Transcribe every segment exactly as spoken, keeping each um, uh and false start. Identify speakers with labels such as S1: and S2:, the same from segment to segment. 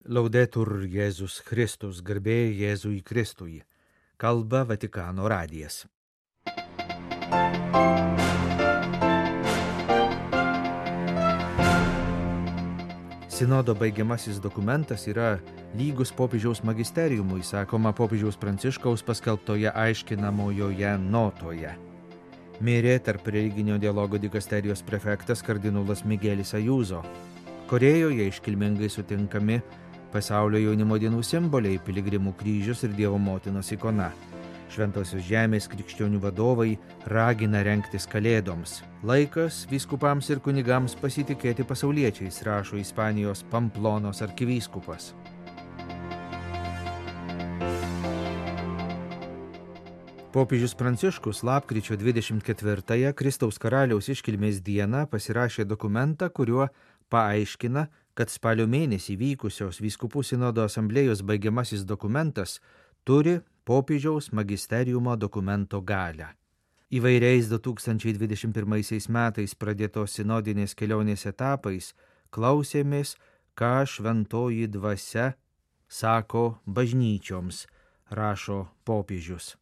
S1: Laudetur Jėzus Kristus, garbė Jėzui Kristui. Kalba Vatikano radijas. Sinodo baigiamasis dokumentas yra lygus popiežiaus magisteriumui, sakoma popiežiaus Pranciškaus paskelbtoje aiškinamojoje notoje. Mirė tarp religinio dialogo dikasterijos prefektas kardinolas Migelis Ajuzo. Korėjoje iškilmingai sutinkami pasaulio jaunimo dienų simboliai, piligrimų kryžius ir Dievo motinos ikona. Šventosios žemės krikščionių vadovai ragina rengtis kalėdoms. Laikas vyskupams ir kunigams pasitikėti pasauliečiais, rašo Ispanijos Pamplonos arkivyskupas. Popiežius Pranciškus lapkričio dvidešimt ketvirtąją Kristaus karaliaus iškilmės dieną pasirašė dokumentą, kuriuo paaiškina, kad spalio mėnesį vykusios vyskupų sinodo asamblėjos baigiamasis dokumentas turi popiežiaus magisteriumo dokumento galią. Įvairiais du tūkstančiai dvidešimt pirmaisiais metais pradėtos sinodinės kelionės etapais klausėmės, ką šventoji dvasia sako bažnyčioms, rašo popiežius.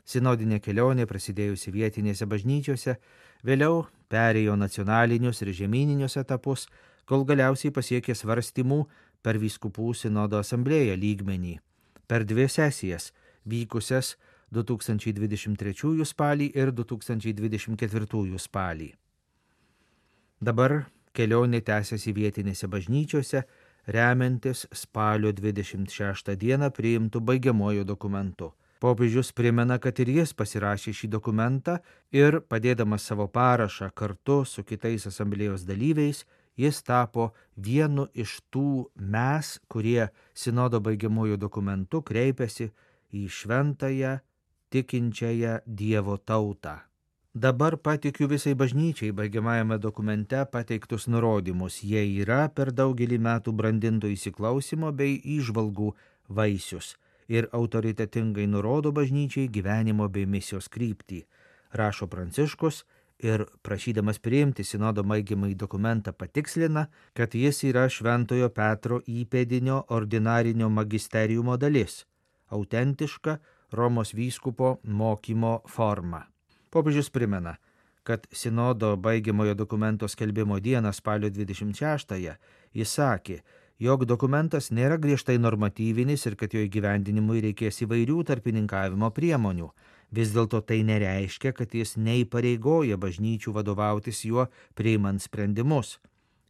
S1: Sinodinė kelionė, prasidėjusi vietinėse bažnyčiose, vėliau perėjo nacionalinius ir žemyninius etapus, kol galiausiai pasiekė svarstymų per vyskupų sinodo asamblėją lygmenį. Per dvi sesijas, vykusias du tūkstančiai dvidešimt trečiųjų spalį ir du tūkstančiai dvidešimt ketvirtųjų spalį. Dabar kelionė tęsiasi vietinėse bažnyčiose, remiantis spalio dvidešimt šeštą dieną priimtų baigiamuoju dokumentu. Popiežius primena, kad ir jis pasirašė šį dokumentą ir, padėdamas savo parašą kartu su kitais asamblėjos dalyviais, jis tapo vienu iš tų mes, kurie sinodo baigiamuoju dokumentu kreipiasi į šventąją, tikinčiąją Dievo tautą. Dabar patikiu visai bažnyčiai baigiamajame dokumente pateiktus nurodymus. Jie yra per daugelį metų brandinto įsiklausimo bei įžvalgų vaisius ir autoritetingai nurodo bažnyčiai gyvenimo bei misijos kryptį, rašo Pranciškus ir prašydamas priimti sinodo baigiamąjį dokumentą patikslina, kad jis yra Šventojo Petro įpėdinio ordinarinio magisteriumo dalis, autentiška Romos vyskupo mokymo forma. Popiežius primena, kad sinodo baigiamojo dokumento skelbimo dieną spalio dvidešimt šeštąją jis sakė, jog dokumentas nėra griežtai normatyvinis ir kad jo įgyvendinimui reikės įvairių tarpininkavimo priemonių. Vis dėlto tai nereiškia, kad jis neįpareigoja bažnyčių vadovautis juo priimant sprendimus.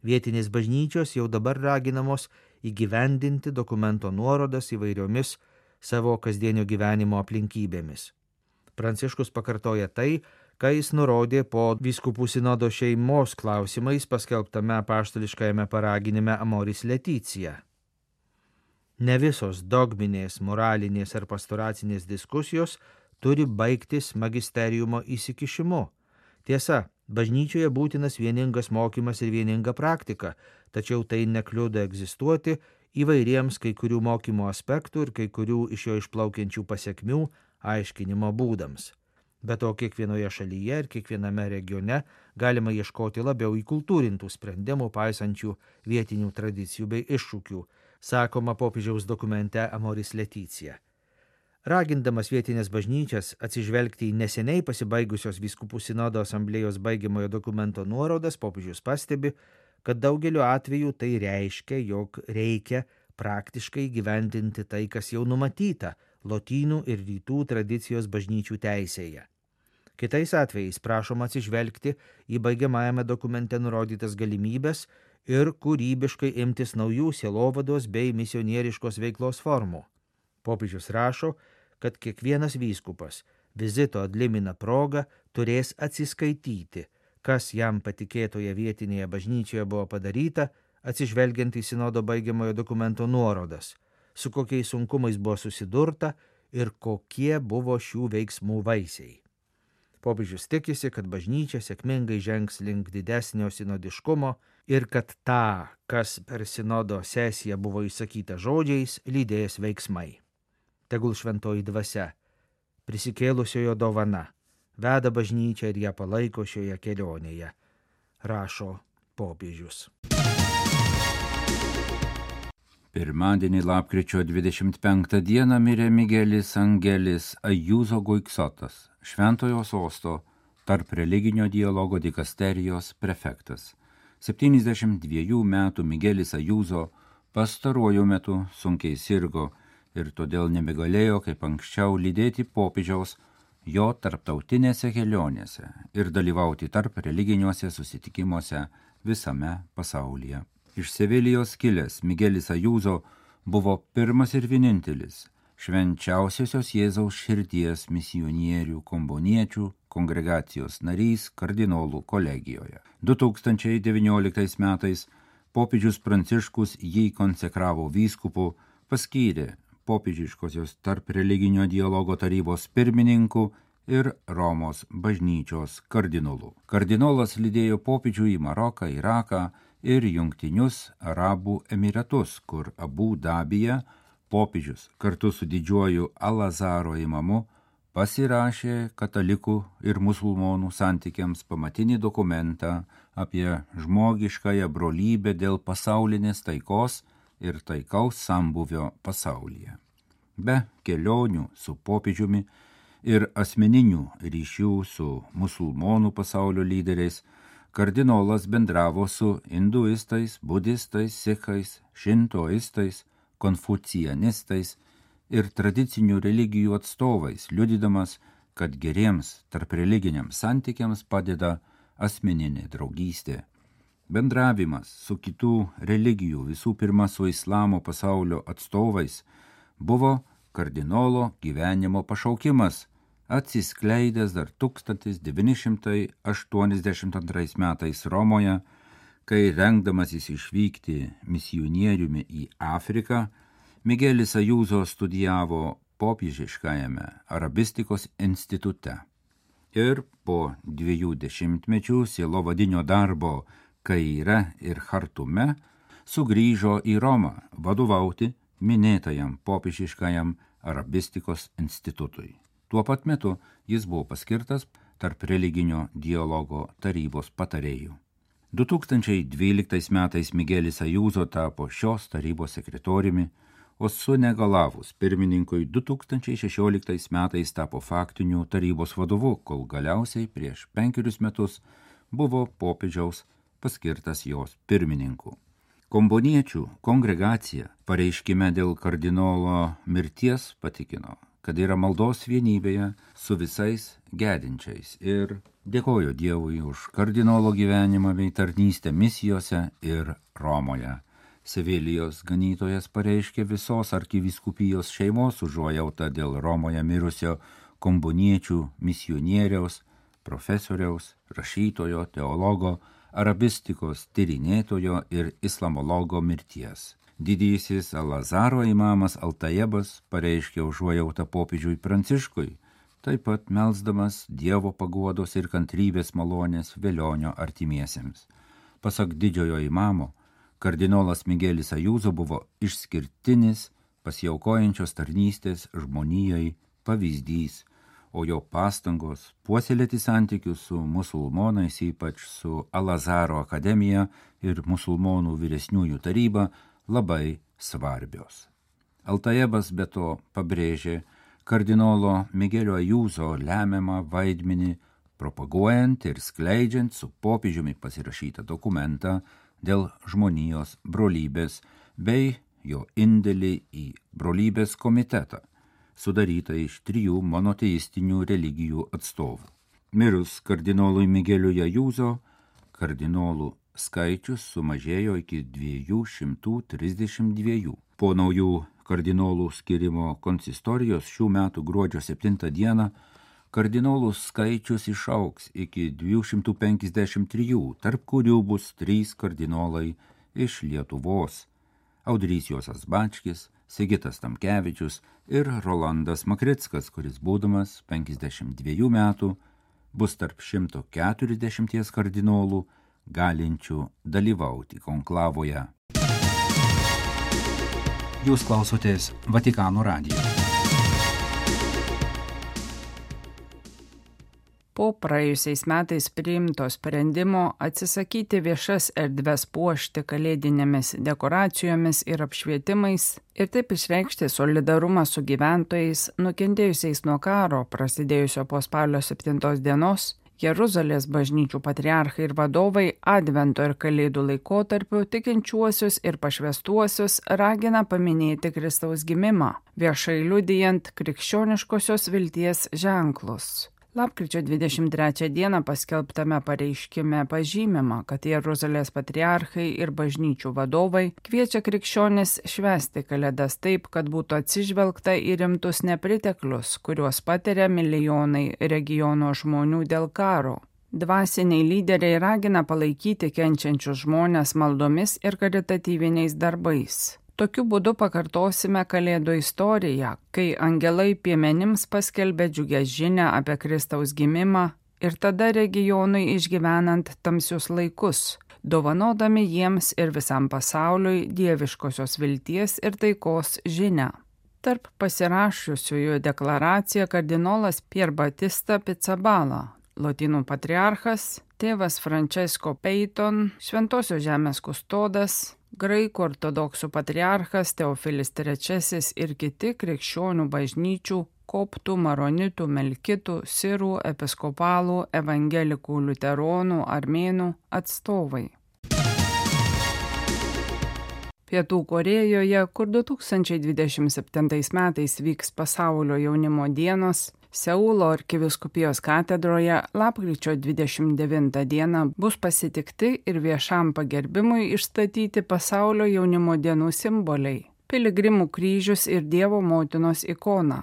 S1: Vietinės bažnyčios jau dabar raginamos įgyvendinti dokumento nuorodas įvairiomis savo kasdienio gyvenimo aplinkybėmis. Pranciškus pakartoja tai, ką jis nurodė po vyskupų sinodo šeimos klausimais paskelbtame apaštališkajame paraginime Amoris Laetitia. Ne visos dogminės, moralinės ar pastoracinės diskusijos turi baigtis magisteriumo įsikišimu. Tiesa, bažnyčioje būtinas vieningas mokymas ir vieninga praktika, tačiau tai nekliudo egzistuoti įvairiems kai kurių mokymo aspektų ir kai kurių iš jo išplaukiančių pasekmių aiškinimo būdams. Be to, kiekvienoje šalyje ir kiekviename regione galima ieškoti labiau įkultūrintų sprendimų paisančių vietinių tradicijų bei iššūkių, sakoma popiežiaus dokumente Amoris Laetitia. Ragindamas vietinės bažnyčias atsižvelgti į neseniai pasibaigusios vyskupų sinodo asamblėjos baigiamojo dokumento nuorodas, popiežius pastebi, kad daugeliu atveju tai reiškia, jog reikia praktiškai gyventinti tai, kas jau numatyta lotynų ir rytų tradicijos bažnyčių teisėje. Kitais atvejais prašoma atsižvelgti į baigiamajame dokumente nurodytas galimybės ir kūrybiškai imtis naujų sielovados bei misionieriškos veiklos formų. Popiežius rašo, kad kiekvienas vyskupas vizito ad limina proga turės atsiskaityti, kas jam patikėtoje vietinėje bažnyčioje buvo padaryta, atsižvelgiant į sinodo baigiamojo dokumento nuorodas, su kokiais sunkumais buvo susidurta ir kokie buvo šių veiksmų vaisiai. Popiežius tikisi, kad bažnyčia sėkmingai žengs link didesnio sinodiškumo ir kad tą, kas per sinodo sesiją buvo įsakyta žodžiais, lydės veiksmai. Tegul šventoji dvasia, prisikėlusiojo dovana, veda bažnyčią ir ją palaiko šioje kelionėje, rašo popiežius.
S2: Pirmadienį lapkričio dvidešimt penktą dieną mirė Migelis Angelis Ajūzo Guiksotas, Šventojo sosto tarp religinio dialogo dikasterijos prefektas. septyniasdešimt dviejų metų Migelis Ajūzo pastaruoju metu sunkiai sirgo ir todėl nebegalėjo kaip anksčiau lydėti popiežiaus jo tarptautinėse kelionėse ir dalyvauti tarp religiniuose susitikimuose visame pasaulyje. Iš Sevilijos kilęs Migelis Ajūzo buvo pirmas ir vienintelis švenčiausiosios Jėzaus širdies misionierių komboniečių kongregacijos narys kardinolų kolegijoje. du tūkstančiai devynioliktais metais popiežius Pranciškus jį konsekravo vyskupu, paskyrė popiežiškosios tarp religinio dialogo tarybos pirmininku ir Romos bažnyčios kardinolu. Kardinolas lydėjo popiežių į Maroką, Iraką ir Jungtinius Arabų Emiratus, kur Abu Dabyje popiežius kartu su didžiuoju Al-Azaro imamu pasirašė katalikų ir musulmonų santykiams pamatinį dokumentą apie žmogiškąją brolybę dėl pasaulinės taikos ir taikaus sambuvio pasaulyje. Be kelionių su popiežiumi ir asmeninių ryšių su musulmonų pasaulio lyderiais, kardinolas bendravo su hinduistais, budistais, sikhais, šintoistais, konfucianistais ir tradicinių religijų atstovais, liudydamas, kad geriems tarp religiniams santykiams padeda asmeninė draugystė. Bendravimas su kitų religijų, visų pirma su islamo pasaulio atstovais, buvo kardinolo gyvenimo pašaukimas, atsiskleidęs dar tūkstantis devyni šimtai aštuoniasdešimt antrais metais Romoje, kai rengdamasis išvykti misionieriumi į Afriką, Migelis Ajūzo studijavo popiežiškajame arabistikos institute ir po dviejų dešimtmečių sielovadinio darbo Kaire ir Chartume sugrįžo į Romą vadovauti minėtajam popiežiškajam arabistikos institutui. Tuo pat metu jis buvo paskirtas tarp religinio dialogo tarybos patarėjų. du tūkstančiai dvyliktais metais Migelis Ajūzo tapo šios tarybos sekretoriumi, o sunegalavus pirmininkui du tūkstančiai šešioliktais metais tapo faktiniu tarybos vadovu, kol galiausiai prieš penkerius metus buvo popiežiaus paskirtas jos pirmininku. Komboniečių kongregacija pareiškime dėl kardinolo mirties patikino, kad yra maldos vienybėje su visais gedinčiais ir dėkojo Dievui už kardinolo gyvenimą bei tarnystę misijose ir Romoje. Sevilijos ganytojas pareiškė visos arkivyskupijos šeimos užuojautą dėl Romoje mirusio komboniečių misionieriaus, profesoriaus, rašytojo, teologo, arabistikos tyrinėtojo ir islamologo mirties. Didysis Al-Azaro imamas Altajebas pareiškė užuojautą popiežiui Pranciškui, taip pat melsdamas Dievo paguodos ir kantrybės malonės velionio artimiesiems. Pasak didžiojo imamo, kardinolas Migelis Ajūzo buvo išskirtinis pasiaukojančios tarnystės žmonijai pavyzdys, o jo pastangos puoselėti santykius su musulmonais, ypač su Al-Azaro akademija ir musulmonų vyresniųjų taryba, labai svarbios. Altajebas be to pabrėžė kardinolo Migelio Ajūzo lemiamą vaidmenį propaguojant ir skleidžiant su popiežiumi pasirašytą dokumentą dėl žmonijos brolybės bei jo indėlį į brolybės komitetą, sudarytą iš trijų monoteistinių religijų atstovų. Mirus kardinolui Migeliui Ajūzo, kardinolų skaičius sumažėjo iki dviejų šimtų trisdešimt dviejų. Po naujų kardinolų skirimo konsistorijos šių metų gruodžio septintą dieną kardinolų skaičius išaugs iki dviejų šimtų penkiasdešimt trijų, tarp kurių bus trys kardinolai iš Lietuvos – Audrys Juozas Bačkis, Sigitas Tamkevičius ir Rolandas Makrickas, kuris būdamas penkiasdešimt dviejų metų bus tarp šimto keturiasdešimties kardinolų galinčių dalyvauti konklavoje.
S3: Jūs klausotės Vatikano radijo. Po praėjusiais metais priimto sprendimo atsisakyti viešas erdves puošti kalėdinėmis dekoracijomis ir apšvietimais ir taip išreikšti solidarumą su gyventojais nukentėjusiais nuo karo prasidėjusio po spalio septintos dienos, Jeruzalės bažnyčių patriarchai ir vadovai Advento ir Kalėdų laikotarpiu tikinčiuosius ir pašvęstuosius ragina paminėti Kristaus gimimą, viešai liudijant krikščioniškosios vilties ženklus. Lapkričio dvidešimt trečią dieną paskelbtame pareiškime pažymima, kad Jeruzalės patriarchai ir bažnyčių vadovai kviečia krikščionis švęsti Kalėdas taip, kad būtų atsižvelgta į rimtus nepriteklius, kuriuos patiria milijonai regiono žmonių dėl karo. Dvasiniai lyderiai ragina palaikyti kenčiančius žmones maldomis ir karitatyviniais darbais. Tokiu būdu pakartosime Kalėdų istoriją, kai angelai piemenims paskelbė džiugę žinią apie Kristaus gimimą ir tada regionui išgyvenant tamsius laikus, dovanodami jiems ir visam pasauliui dieviškosios vilties ir taikos žinią. Tarp pasirašiusiųjų deklaraciją kardinolas Pier Batista Pizzaballa, lotynų patriarchas, tėvas Francesco Peyton, Šventosios žemės kustodas, Graikų ortodoksų patriarchas Teofilis trečiasis ir kiti krikščionių bažnyčių, koptų, maronitų, melkitų, sirų, episkopalų, evangelikų, liuteronų, armėnų atstovai. Pietų Korėjoje, kur du tūkstančiai dvidešimt septintais metais vyks pasaulio jaunimo dienos, Seulo arkivyskupijos katedroje lapkričio dvidešimt devintą dieną bus pasitikti ir viešam pagerbimui išstatyti pasaulio jaunimo dienų simboliai – piligrimų kryžius ir Dievo motinos ikona.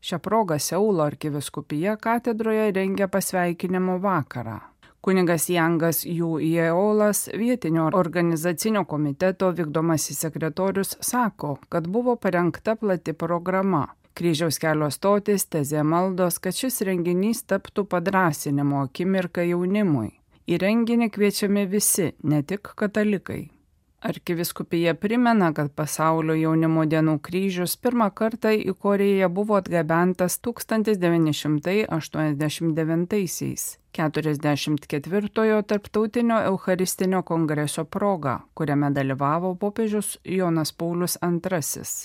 S3: Šią progą Seulo arkivyskupija katedroje rengia pasveikinimo vakarą. Kunigas Jangas Jų Jeolas, vietinio organizacinio komiteto vykdomasis sekretorius, sako, kad buvo parengta plati programa. Kryžiaus kelio stotis, tezė maldos, kad šis renginys taptų padrąsinimo akimirka jaunimui. Į renginį kviečiami visi, ne tik katalikai. Arkivyskupija primena, kad pasaulio jaunimo dienų kryžius pirmą kartą į Korėją buvo atgabentas tūkstantis devyni šimtai aštuoniasdešimt devintaisiais, keturiasdešimt ketvirtojo tarptautinio eucharistinio kongreso proga, kuriame dalyvavo popiežius Jonas Paulius antrasis.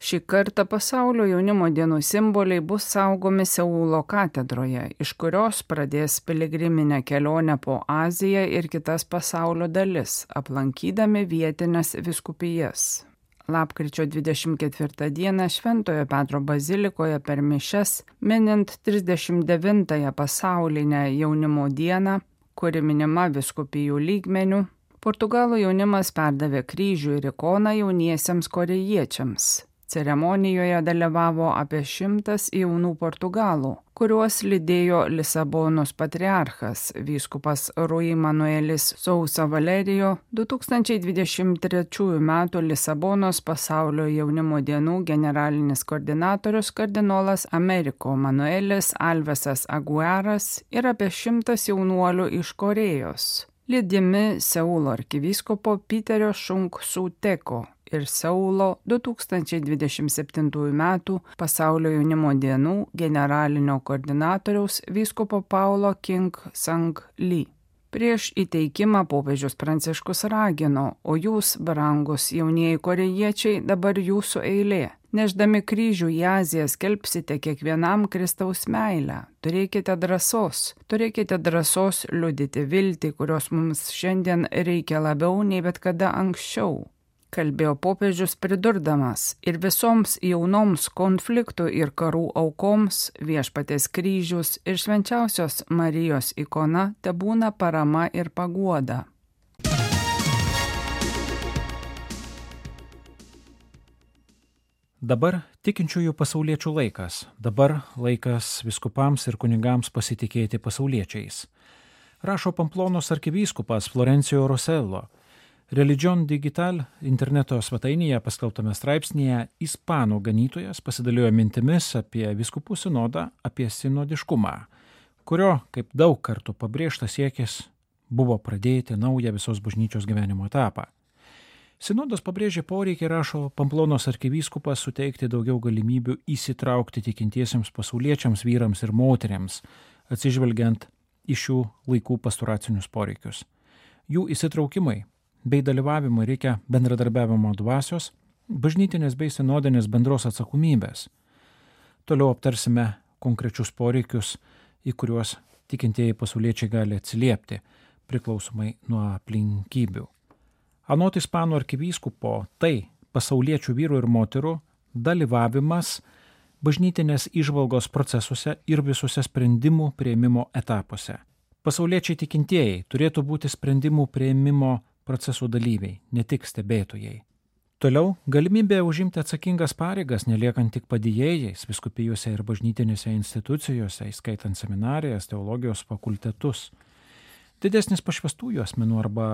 S3: Šį kartą pasaulio jaunimo dienų simboliai bus saugomi Seulo katedroje, iš kurios pradės piligriminę kelionę po Aziją ir kitas pasaulio dalis, aplankydami vietinės vyskupijas. Lapkričio dvidešimt ketvirtą dieną Šventojo Petro bazilikoje per mišias, minint trisdešimt devintąją pasaulinę jaunimo dieną, kuri minima vyskupijų lygmenių, Portugalų jaunimas perdavė kryžių ir ikoną jauniesiems korėjiečiams. Ceremonijoje dalyvavo apie šimtas jaunų portugalų, kuriuos lydėjo Lisabonos patriarchas, vyskupas Rui Manuelis Sousa Valerijo, du tūkstančiai dvidešimt trečiųjų metų Lisabonos pasaulio jaunimo dienų generalinis koordinatorius kardinolas Ameriko Manuelis Alvesas Aguiaras ir apie šimtas jaunuolių iš Korėjos, lydimi Seulo arkivyskupo Piterio Šunk Suteko ir Seulo du tūkstančiai dvidešimt septintųjų metų pasaulio jaunimo dienų generalinio koordinatoriaus vyskupo Paulo King Sang Lee. Prieš įteikimą popiežius Pranciškus ragino, o jūs, brangus jaunieji korėjiečiai, dabar jūsų eilė. Neždami kryžių į Aziją skelbsite kiekvienam Kristaus meilę. Turėkite drąsos, turėkite drąsos liudyti viltį, kurios mums šiandien reikia labiau nei bet kada anksčiau. Kalbėjo popiežius pridurdamas, ir visoms jaunoms konfliktų ir karų aukoms viešpaties kryžius ir švenčiausios Marijos ikona tebūna parama ir paguoda.
S4: Dabar tikinčiųjų pasauliečių laikas, dabar laikas vyskupams ir kunigams pasitikėti pasauliečiais. Rašo Pamplonos arkivyskupas Florencio Rosello. Religion Digital interneto svetainėje paskelbtame straipsnėje ispanų ganytojas pasidalijo mintimis apie vyskupų sinodą, apie sinodiškumą, kurio, kaip daug kartų pabrėžta siekis, buvo pradėti naują visos bažnyčios gyvenimo etapą. Sinodas pabrėžė poreikį, rašo Pamplonos arkivyskupas, suteikti daugiau galimybių įsitraukti tikintiesiems pasauliečiams, vyrams ir moteriams, atsižvelgiant į šių laikų pastoracinius poreikius. Jų įsitraukimai bei dalyvavimui reikia bendradarbiavimo dvasios, bažnytinės bei sinodinės bendros atsakomybės. Toliau aptarsime konkrečius poreikius, į kuriuos tikintieji pasauliečiai gali atsiliepti, priklausomai nuo aplinkybių. Anot ispanų arkivyskupo, tai pasauliečių vyrų ir moterų dalyvavimas bažnytinės įžvalgos procesuose ir visuose sprendimų prieimimo etapuose. Pasauliečiai tikintieji turėtų būti sprendimų prieimimo procesų dalyviai, ne tik stebėtojai. Toliau galimybė užimti atsakingas pareigas, neliekant tik padėjėjais vyskupijose ir bažnytinėse institucijose, įskaitant seminarijas, teologijos fakultetus. Didesnis pašvestųjų asmenų arba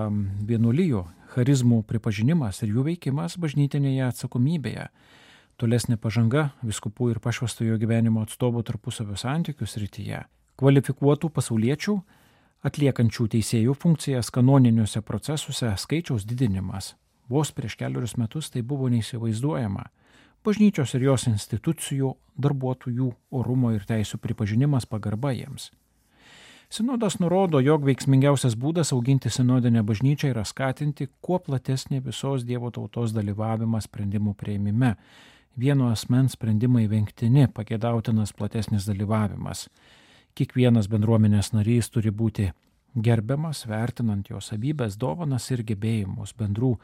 S4: vienuolijų charizmų pripažinimas ir jų veikimas bažnytinėje atsakomybėje. Tolesnė pažanga vyskupų ir pašvestųjų gyvenimo atstovų tarpusavio santykių srityje. Kvalifikuotų pasauliečių atliekančių teisėjų funkcijas kanoniniuose procesuose skaičiaus didinimas. Vos prieš keliarius metus tai buvo neįsivaizduojama. Bažnyčios ir jos institucijų darbuotojų orumo ir teisų pripažinimas, pagarba jiems. Sinodas nurodo, jog veiksmingiausias būdas auginti sinodinę bažnyčią yra skatinti kuo platesnį visos Dievo tautos dalyvavimą sprendimų prieimime. Vieno asmens sprendimai vengtini, pageidautinas platesnis dalyvavimas. Kiekvienas bendruomenės narys turi būti gerbiamas, vertinant jo savybės, dovanas ir gebėjimus bendrų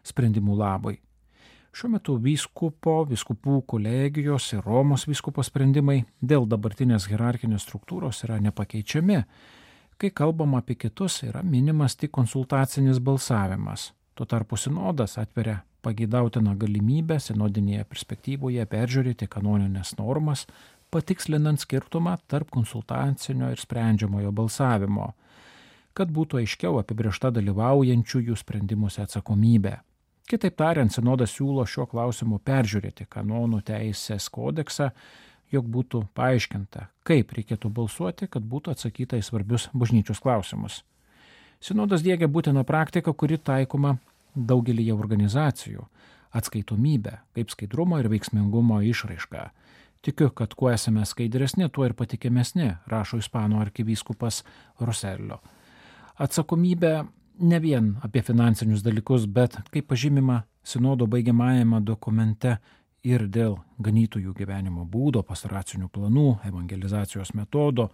S4: sprendimų labui. Šiuo metu vyskupo, vyskupų kolegijos ir Romos vyskupo sprendimai dėl dabartinės hierarchinės struktūros yra nepakeičiami. Kai kalbama apie kitus, yra minimas tik konsultacinis balsavimas. Tuo tarpu sinodas atveria pageidautiną galimybę sinodinėje perspektyvoje peržiūrėti kanoninės normas, patikslinant skirtumą tarp konsultacinio ir sprendžiamojo balsavimo, kad būtų aiškiau apibrėžta dalyvaujančiųjų sprendimuose atsakomybė. Kitaip tariant, sinodas siūlo šiuo klausimu peržiūrėti kanonų teisės kodeksą, jog būtų paaiškinta, kaip reikėtų balsuoti, kad būtų atsakyta į svarbius bažnyčios klausimus. Sinodas diegia būtiną praktiką, kuri taikoma daugelį organizacijų – atskaitomybę, kaip skaidrumo ir veiksmingumo išraišką. Tikiu, kad kuo esame skaidresni, tuo ir patikimesni, rašo ispanų arkivyskupas Rosello. Atsakomybė ne vien apie finansinius dalykus, bet, kaip pažymima sinodo baigiamajame dokumente, ir dėl ganytojų gyvenimo būdo, pastoracinių planų, evangelizacijos metodo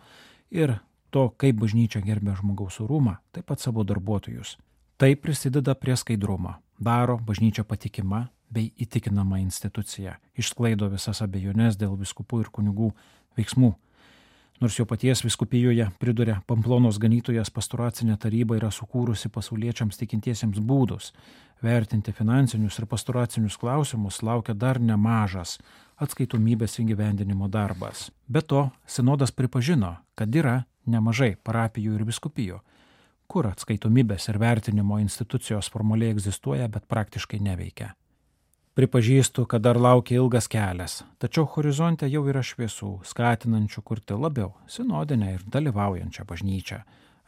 S4: ir to, kaip bažnyčia gerbia žmogaus orumą, taip pat savo darbuotojus. Tai prisideda prie skaidrumo, daro bažnyčią patikima bei įtikinama institucija, išsklaido visas abejonės dėl vyskupų ir kunigų veiksmų. Nors jo paties vyskupijoje, priduria, Pamplonos ganytojas pastoracinė taryba yra sukūrusi pasauliečiams tikintiesiems būdus. Vertinti finansinius ir pastoracinius klausimus laukia dar nemažas atskaitomybės įgyvendinimo darbas. Be to, sinodas pripažino, kad yra nemažai parapijų ir vyskupijų, kur atskaitomybės ir vertinimo institucijos formaliai egzistuoja, bet praktiškai neveikia. Pripažįstu, kad dar laukia ilgas kelias, tačiau horizonte jau yra šviesų, skatinančių kurti labiau sinodinę ir dalyvaujančią bažnyčią,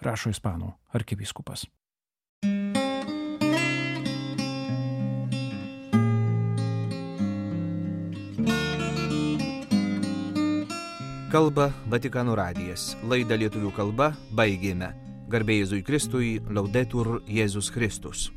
S4: rašo ispanų arkivyskupas.
S1: Kalba Vatikano radijas. Laidą lietuvių kalba baigėme. Garbė Jėzui Kristui, Laudetur Jėzus Kristus.